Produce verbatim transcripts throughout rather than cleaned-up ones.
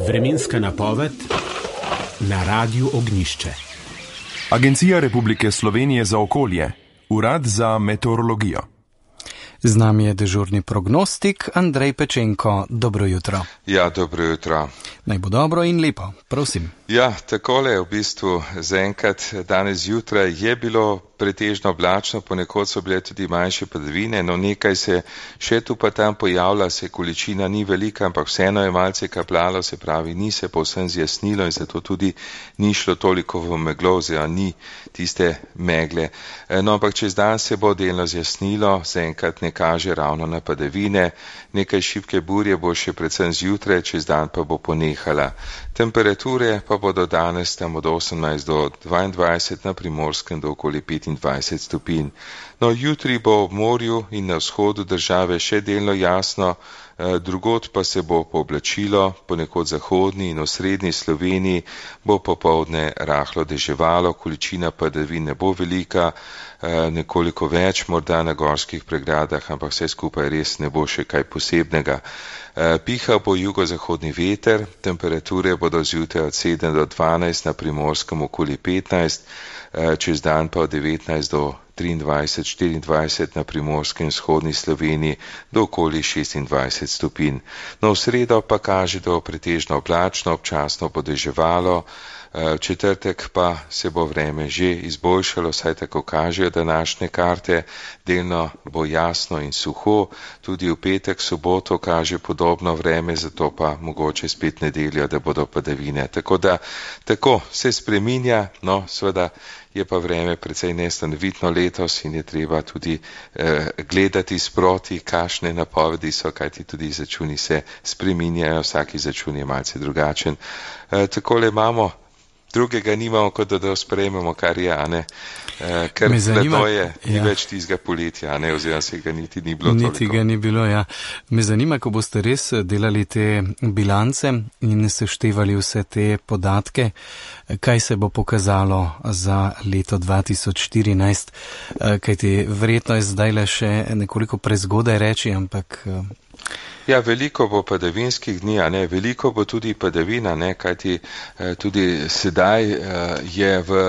Vremenska napoved na Radiu Ognjišče. Agencija Republike Slovenije za okolje, Urad za meteorologijo. Z nami je dežurni prognostik Andrej Pečenko. Dobro jutro. Ja, dobro jutro. Naj bo dobro in lepo, prosim. Ja, takole v bistvu zaenkrat danes zjutraj je bilo pretežno oblačno, ponekod so bile tudi manjše padavine, no nekaj se še tu pa tam pojavlja, se količina ni velika, ampak vseeno je malce kapljalo, se pravi, ni se povsem zjasnilo in zato tudi ni šlo toliko v meglo, oziroma ni tiste megle. No, ampak čez dan se bo delno zjasnilo, zaenkrat ne kaže ravno na padavine, nekaj šibke burje bo še predvsem zjutraj, čez dan pa bo ponehala. Temperature pa bodo danes tam od osemnajst do dvaindvajset, na Primorskem do okoli petindvajset stopinj. No, jutri bo ob morju in na vzhodu države še delno jasno, drugod pa se bo pooblačilo, ponekod zahodni in osrednji Sloveniji bo popoldne rahlo deževalo, količina padavin ne bo velika, nekoliko več morda na gorskih pregradah, ampak vse skupaj res ne bo še kaj posebnega. Piha bo jugozahodni veter, temperature bodo zjutraj od sedem do dvanajst, na Primorskem okoli petnajst, čez dan pa od devetnajst do triindvajset, štiriindvajset, na Primorskem in vzhodni Sloveniji do okoli šestindvajset stopinj. No, v sredo pa kaže, da bo pretežno oblačno, občasno bo deževalo, v četrtek pa se bo vreme že izboljšalo, saj tako kažejo današnje karte, delno bo jasno in suho, tudi v petek, soboto kaže podobno vreme, zato pa mogoče spet nedeljo, da bodo padavine. Tako da, tako se spreminja, no, seveda je pa vreme precej nestanovitno letos in je treba tudi eh, gledati sproti, kakšne napovedi so, kajti tudi izračuni se spreminjajo, vsak izračun je malce drugačen. Eh, takole imamo, drugega nimamo, kot da, da sprejmemo, kar je, a ne, e, ker leto je, ni ja. več tistega poletja, a ne, oziroma se ga niti ni bilo toliko. Niti ga ni bilo, ja. Me zanima, ko boste res delali te bilance in seštevali vse te podatke, kaj se bo pokazalo za leto dva tisoč štirinajst, kajti verjetno je zdajle še nekoliko prezgodaj reči, ampak... Ja, veliko bo padavinskih dni, a ne, veliko bo tudi padavina, ne, kajti eh, tudi sedaj eh, je v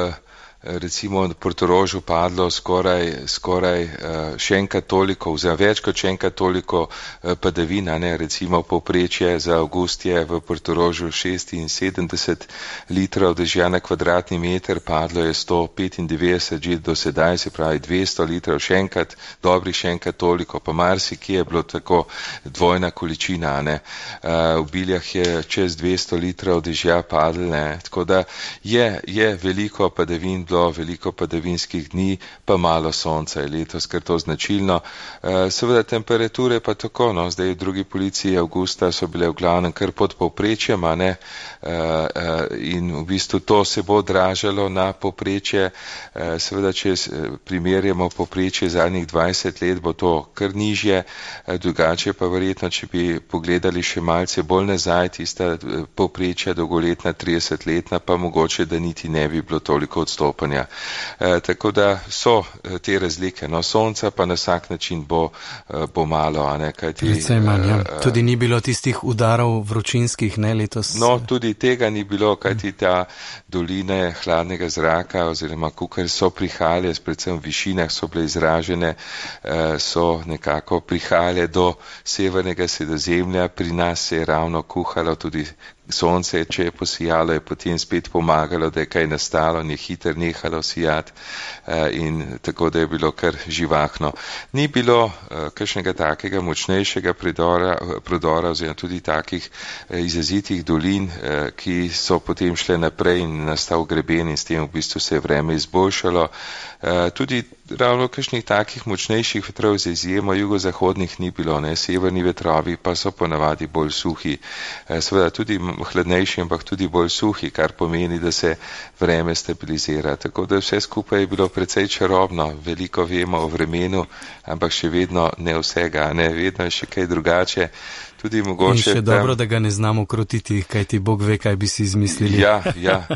recimo v Portorožu padlo skoraj, skoraj še enkrat toliko, oziroma več kot še enkrat toliko padavina, ne, recimo povprečje za avgust je v Portorožu šestinsedemdeset litrov dežja na kvadratni meter, padlo je sto petindevetdeset že do sedaj, se pravi dvesto litrov, še enkrat, dobrih še enkrat toliko, pa marsikje je bilo tako dvojna količina, ne, v Biljah je čez dvesto litrov dežja padlo, ne, tako da je, je veliko padavin, bilo veliko padavinskih dni, pa malo sonca je letos, ker to značilno. Seveda temperature pa tako, no, zdaj v drugi polovici avgusta so bile v glavnem kar pod povprečjem, a ne, in v bistvu to se bo odražalo na povprečje, seveda če primerjamo povprečje zadnjih dvajset let, bo to kar nižje, drugače pa verjetno, če bi pogledali še malce bolj nazaj, tista povprečja dolgoletna, tridesetletna, pa mogoče, da niti ne bi bilo toliko odstop. E, tako da so te razlike, no, sonca pa na vsak način bo, bo malo, a ne, kajti... Predvsem manj, ja. Tudi ni bilo tistih udarov vročinskih, ne, letos? No, tudi tega ni bilo, kajti ta doline hladnega zraka, oziroma kukar so prihajale, predvsem v višinah so bile izražene, so nekako prihajale do severnega Sredozemlja, pri nas se je ravno kuhalo tudi sonce, če je posijalo, je potem spet pomagalo, da je kaj nastalo, ni hiter nehalo sijati in tako, da je bilo kar živahno. Ni bilo kakšnega takega močnejšega prodora, prodora oziroma tudi takih izrazitih dolin, ki so potem šle naprej in nastal greben in s tem v bistvu se je vreme izboljšalo. Tudi ravno kakšnih takih močnejših vetrov z izjemo jugozahodnih ni bilo, ne, severni vetrovi pa so ponavadi bolj suhi, seveda tudi hladnejši, ampak tudi bolj suhi, kar pomeni, da se vreme stabilizira. Tako da vse skupaj je bilo precej čarobno, veliko vemo o vremenu, ampak še vedno ne vsega, ne, vedno je še kaj drugače. Tudi mogoče, in še dobro, da ga ne znamo krotiti, kaj ti Bog ve, kaj bi si izmislili. Ja, ja.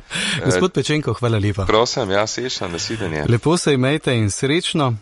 Gospod Pečenko, hvala lepa. Prosim, ja, srečno, nasvidenje. Lepo se imejte in srečno.